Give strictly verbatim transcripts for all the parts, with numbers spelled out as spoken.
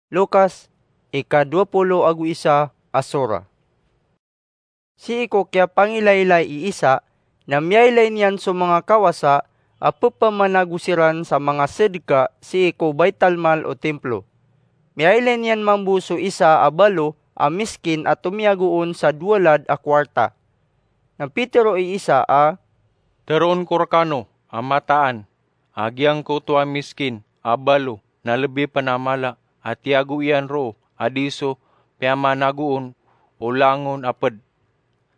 Lukas, ika dowa polo ago isa a sura. Sii ko kiyapangilaylay i Isa, na miyailay niyan so manga kawasa a pepamanago siran sa manga sedeka sii ko baitalmal o Templo. Miyailay niyan mambo so isa a balo a miskin a tomiyagoon sa dowalad a kowarta. Na pitero i Isa a, "Teroon ko rekano a mataan a giyangkoto a miskin a balo na lebi pen a mala a tiyago iyan roo a di so piyamanagoon o langon a ped.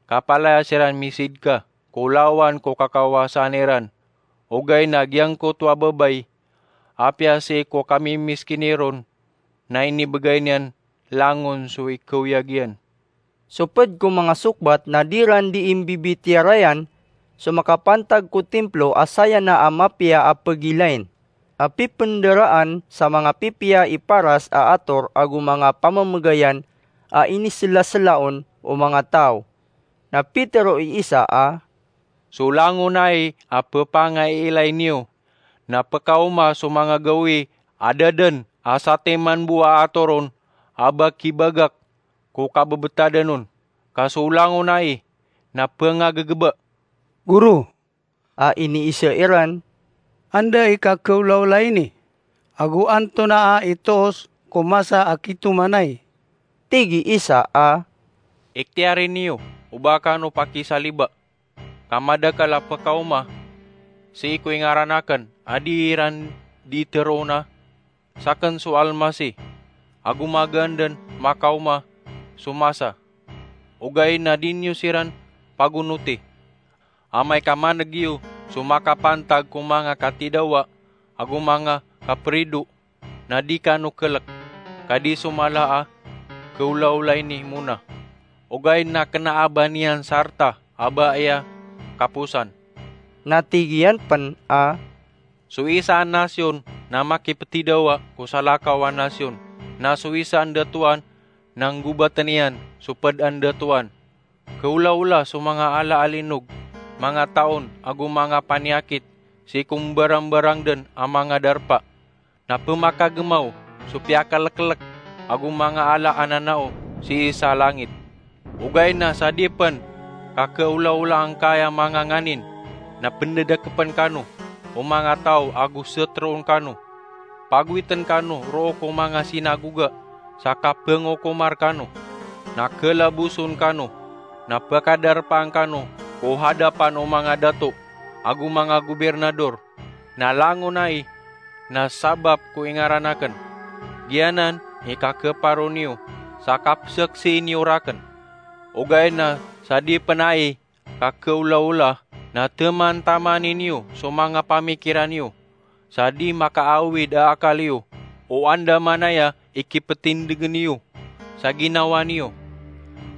Kapalaya siran misidka ko lawan ko kakawasaan iran. Ogaid na giyangkoto a babay, apiya sii ko kamimiskini ron, na inibegay niyan langon so ikaoyag iyan." So ped ko manga sokbat na di ran dii mbibitiyarayan so makapantag ko Templo a saya na a mapiya a pegilayn, a pipenderaan sa manga pipiya i paras a ator ago manga pamemegayan a iniselaselaon o manga taw. Na pitero i Isa a, "So langon ai a pepangaiilay niyo na pekaoma so manga gawii a da den a satiman bo a ator on a ba kibagak ko kabebetadan on, ka so langon ai na pengagegeba." "Goro," a iniisa iran, "anda i kakeolaola ini? Ago antonaa i toos ko masa a kitoman ai?" Tig i Isa a, "Iktiyari niyo o ba kano pakisaliba, ka madakel a pekaoma sii ko ingaran aken a di iran di teroona saken so Almasih, ago magaan den makaoma so masa. Ogaid na di niyo siran pagonoti. Amay ka maneg iyo so makapantag ko manga katidawa ago manga kaperido, na di kano kelek, ka di so mala a keolaola ini mona. Ogaid na kena a ba niyan sarta a ba aya kaposan." Na tig iyan pen a, "So isa a nasyon na makipetidawa ko salakaw a nasyon, na so isa a ndatoan na nggobaten iyan so ped a ndatoan. Keolaola so manga ala a linog, manga taon ago manga paniyakit sii ko mbarambarang den a manga darpa, na pemakagemaw so piyakalekelek ago manga ala a nanao sii sa langit. Ogaid na sa di pen kakeolaola angkaya manga nganin, na pendedakepen kano o manga taw ago seteroon kano. Pagowiten kano roo ko manga sinagoga sa kapengokomar kano, na kelaboson kano, na pekadarpaan kano ko hadapan o manga dato ago manga gobirnador, na langon ai na sabap ko ingaran aken. Giyanan i kakeparo niyo sa kapeseksii niyo raken. Ogaid na sa di pen ai kakeolaola, na temantamani niyo so manga pamikiran iyo, sa di makaawid a akal iyo o andamanaya i kipetindegen iyo sa ginawa niyo.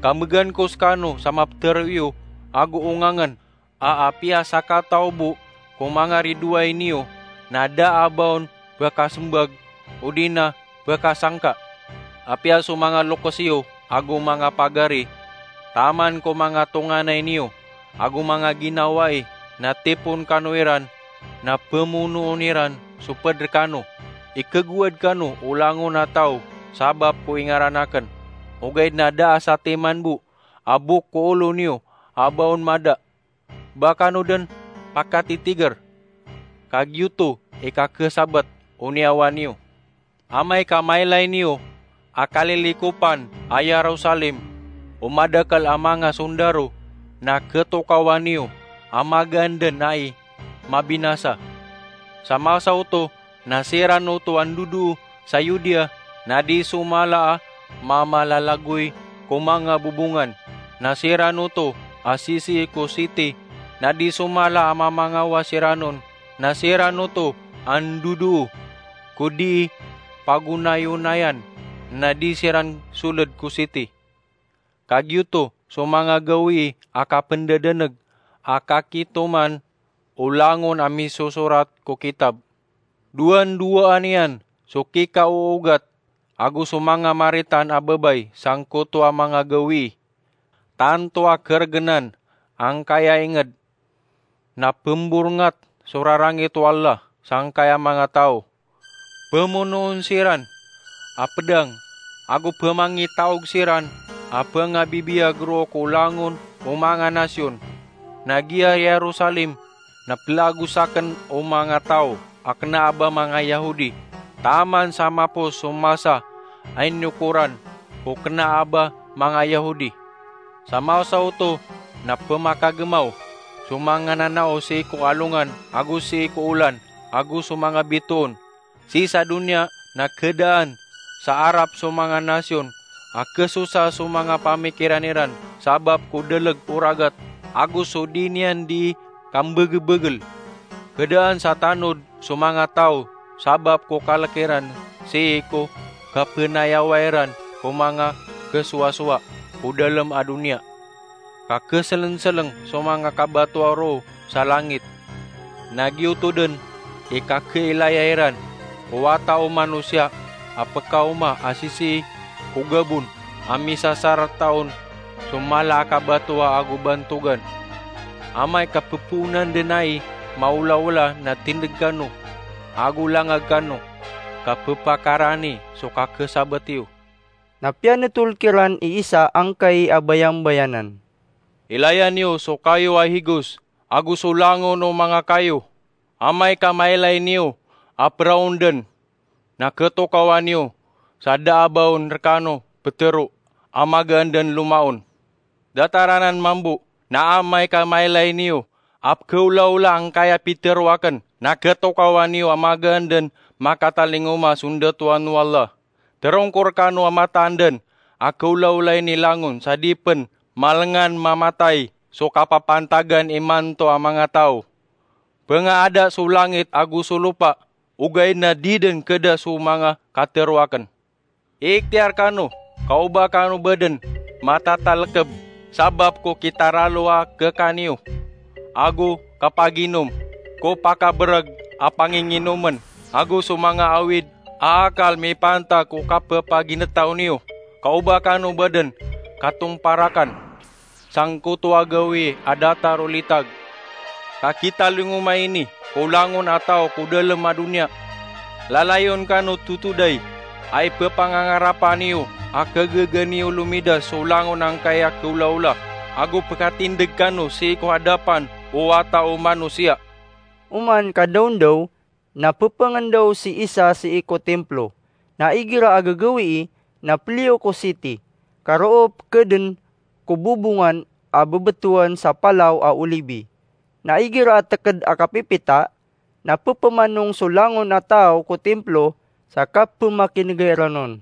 Kamegan ko sekano sa mapetero iyo ago ongangen a apiya sakataw bo ko manga ridoay niyo na da a ba on pekasembag odi na pekasangka. Apiya so manga lokes iyo ago manga pagari, taman ko manga tonganay niyo ago manga ginawai, na tipon kano iran, na pemonoon iran so ped rekano. Ikegowad kano o langon a taw sabap ko ingaran aken. Ogaid na da a satiman bo a bok ko olo niyo a ba on mada. Ba kano den pakatitiger, ka giyoto i kakesabat o niyawa niyo. Amay ka mailay niyo a kalilikopan a Yerusalem o madakel a manga sondaro, na ketokawan iyo a magaan den ai mabinasa. Sa masa oto na siran oto a ndodoo sa Yudea, na di so mala a mamalalagoy ko manga bobongan, na siran oto a sisii ko siti, na di so mala a mamangawa siran on, na siran oto a ndodoo ko dii pagonayonayan, na di siran soled ko siti. Kagiyoto so manga gawii a kapendadaneg a kakitoman o langon a misosorat ko kitab. Dowan-dowaan iyan so kikaoogat ago so manga maritan a babay sangkoto a manga gawii. Tanto a keregenan angkaya inged, na pemborengat so rarangit o Allah sangkaya manga taw. Pemonoon siran a pedang, ago pemangitaog siran a pengabibiyag roo ko langon o manga nasyon. Na giya Yerusalem na pelagosaken o manga taw a kena a ba manga Yahudi, taman sa mapos so masa a inokoran ko kena a ba manga Yahudi. Sa masa oto na pemakagemaw so manga nanao sii ko alongan ago sii ko olan ago so manga bitoon. Sii sa doniya na kedaan sa arap so manga nasyon a kesosa so manga pamikiran iran sabap ko deleg o ragat ago so di niyan di kambegebegel. Kedaan sa tanod so manga taw sabap ko kalek iran sii ko kapenayawa iran ko manga kesowasowa ko dalem a doniya. Kakeselenseleng so manga kabatowa roo sa langit. Na giyoto den i kakeilaya iran o Wata o Manosiya a pekaoma a sisii ko gabon a misasarata on so mala a kabatowa ago bantogan. Amay ka pepoonan den ai maolaola na tindeg kano ago langag kano ka pepakarani so kakesabat iyo. Na piyanetol kiran i Isa angkai a bayambayanan. Ilaya niyo so kayo a higos ago so langon o manga kayo. Amay ka mailay niyo a peraon den, na ketokawan iyo sa da a ba on rekano petero a magaan den lomaon. Datar anan mambo, na amay ka mailay niyo a pekeolaola angkaya pitero aken, na ketokawan iyo a magaan den makatalingoma so ndatoan o Allah. Terongkor kano a mataan den a keolaolai ni langon sa di pen malengan mamatay so kapapantagan imanto a manga taw. Pengaada so langit ago so lopa, ogaid na di den keda so manga katero aken. Iiktiyar kano ka o ba kano ba den matatalekeb sabap ko kitaralo a kekaniyo, ago kapaginom, ko pakabereg a panginginomen, ago so manga awid a akal mipantag ko kapepaginetaw niyo, ka o ba kano ba den katomparakan. Sangkoto a gawii a datar o litag. Ka kitalingoma ini ko langon a taw ko dalem a doniya. Lalayon kano totodai a ipepangangarapa niyo a kagaga niyo lomidas so langon angkai a keolaola, ago pekatindeg kano sii ko adapan o Wata o Manosiya. Oman ka dawndaw, na pepengendaw si Isa sii ko Templo. Na igira a gagawii na peliyo ko siti, ka roo pekeden ko bobongan a bebetowan sa Palaw a Olibi. Na igira a teked a kapipita, na pepemanong so langon a taw ko Templo sa kapemakinega iran on.